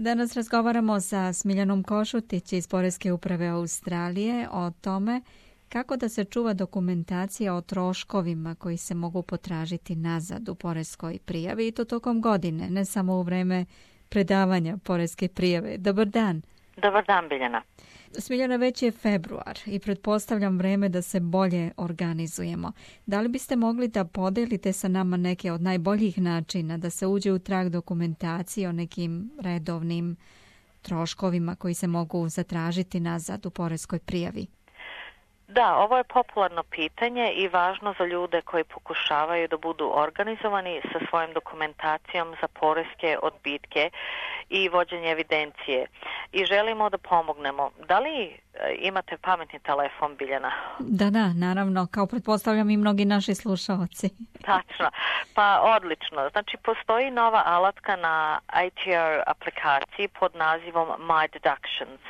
Danas razgovaramo sa Smiljanom Košutić iz Poreske uprave Australije o tome kako da se čuva dokumentacija o troškovima koji se mogu potražiti nazad u poreskoj prijavi i to tokom godine, ne samo u vreme predavanja poreske prijave. Dobar dan. Dobar dan, Biljana. Smiljana, već je februar i pretpostavljam vreme da se bolje organizujemo. Da li biste mogli da podelite sa nama neke od najboljih načina da se uđe u trag dokumentacije o nekim redovnim troškovima koji se mogu zatražiti nazad u poreskoj prijavi? Da, ovo je popularno pitanje i važno za ljude koji pokušavaju da budu organizovani sa svojom dokumentacijom za poreske odbitke i vođenje evidencije. I želimo da pomognemo. Da li imate pametni telefon, Biljana? Da, naravno, kao pretpostavljam i mnogi naši slušalci. Tačno. Pa odlično. Znači, postoji nova alatka na ITR aplikaciji pod nazivom My Deductions.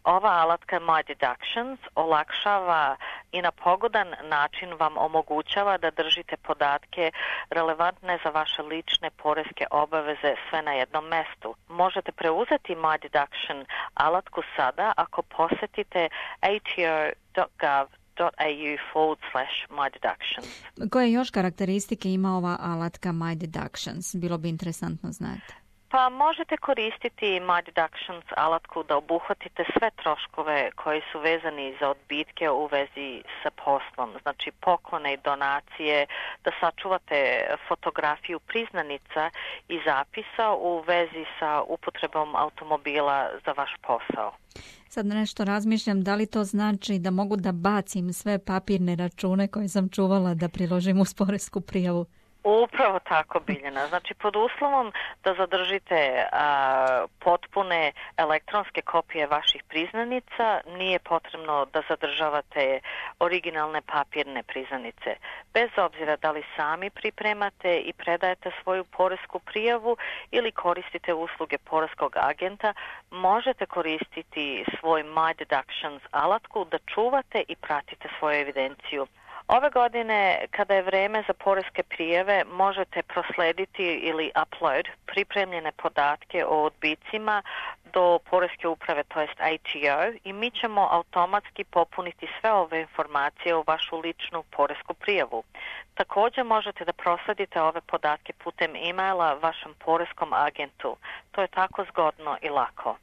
Ova alatka My Deductions olakšava i na pogodan način vam omogućava da držite podatke relevantne za vaše lične poreske obaveze sve na jednom mestu. Možete preuzeti My Deduction alatku sada ako posetite atr.gov.au/My Deductions. Koje još karakteristike ima ova alatka My Deductions? Bilo bi interesantno znati. Pa možete koristiti My Deductions alatku da obuhvatite sve troškove koji su vezani za odbitke u vezi sa poslom, znači poklone i donacije, da sačuvate fotografiju priznanica i zapisa u vezi sa upotrebom automobila za vaš posao. Sad nešto razmišljam, da li to znači da mogu da bacim sve papirne račune koje sam čuvala da priložim uz poresku prijavu? Upravo tako, Biljana. Znači, pod uslovom da zadržite potpune elektronske kopije vaših priznanica, nije potrebno da zadržavate originalne papirne priznanice. Bez obzira da li sami pripremate i predajete svoju poresku prijavu ili koristite usluge poreskog agenta, možete koristiti svoj My Deductions alatku da čuvate i pratite svoju evidenciju. Ove godine, kada je vreme za poreske prijave, možete proslediti ili upload pripremljene podatke o odbicima do poreske uprave, to jest ATO, i mi ćemo automatski popuniti sve ove informacije u vašu ličnu poresku prijavu. Također možete da prosledite ove podatke putem e-maila vašem poreskom agentu. To je tako zgodno i lako.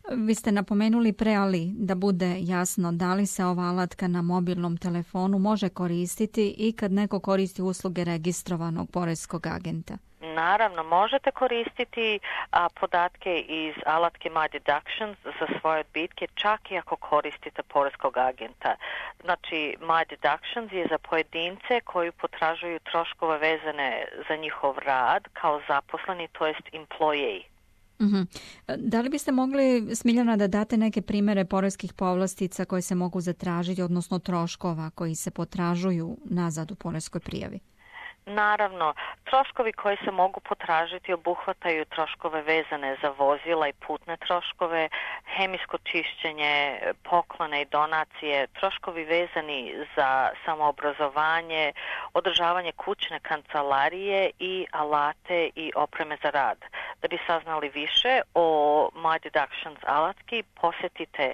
Vi ste napomenuli pre, ali da bude jasno, da li se ova alatka na mobilnom telefonu može koristiti i kad neko koristi usluge registrovanog poreskog agenta? Naravno, možete koristiti podatke iz alatke My Deductions za svoje odbitke, čak i ako koristite poreskog agenta. Znači, My Deductions je za pojedince koji potražuju troškove vezane za njihov rad kao zaposleni, to jest employee. Da li biste mogli, Smiljana, da date neke primere poreskih povlastica koje se mogu zatražiti, odnosno troškova koji se potražuju nazad u poreskoj prijavi? Naravno, troškovi koji se mogu potražiti obuhvataju troškove vezane za vozila i putne troškove, hemijsko čišćenje, poklone i donacije, troškovi vezani za samoobrazovanje, održavanje kućne kancelarije i alate i opreme za rad. Da bi saznali više o My Deductions alatki, posjetite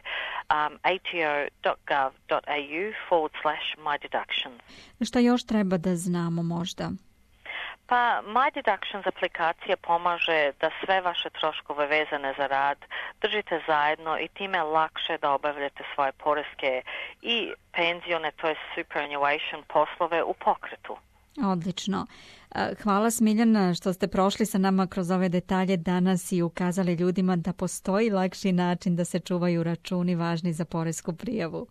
atr.gov.au/My Deductions. Šta još treba da znamo možda? Pa My Deductions aplikacija pomaže da sve vaše troškove vezane za rad držite zajedno i time lakše da obavljate svoje poreske i penzione, to je superannuation poslove u pokretu. Odlično. Hvala, Smiljana, što ste prošli sa nama kroz ove detalje danas i ukazali ljudima da postoji lakši način da se čuvaju računi važni za poresku prijavu.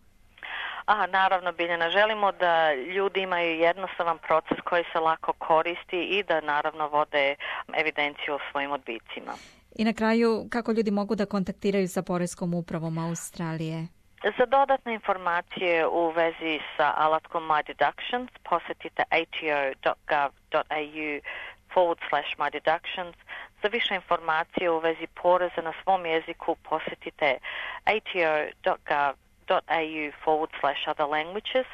Naravno, Biljana, želimo da ljudi imaju jednostavan proces koji se lako koristi i da naravno vode evidenciju o svojim odbicima. I na kraju, kako ljudi mogu da kontaktiraju sa Poreskom upravom Australije? Za dodatne informacije u vezi sa alatkom My Deductions posjetite atr.gov.au/My Deductions. Za više informacije u vezi poreza na svom jeziku posjetite atr.gov.au/other languages.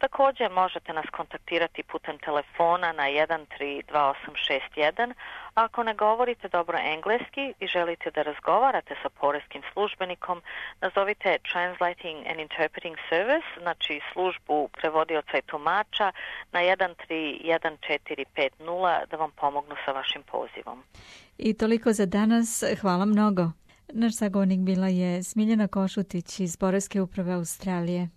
Također možete nas kontaktirati putem telefona na 132861. Ako ne govorite dobro engleski i želite da razgovarate sa poreskim službenikom, nazovite Translating and Interpreting Service, znači službu prevodioca i tumača na 131450 da vam pomognu sa vašim pozivom. I toliko za danas. Hvala mnogo. Naš sagovornik bila je Smiljana Košutić iz Poreske uprave Australije.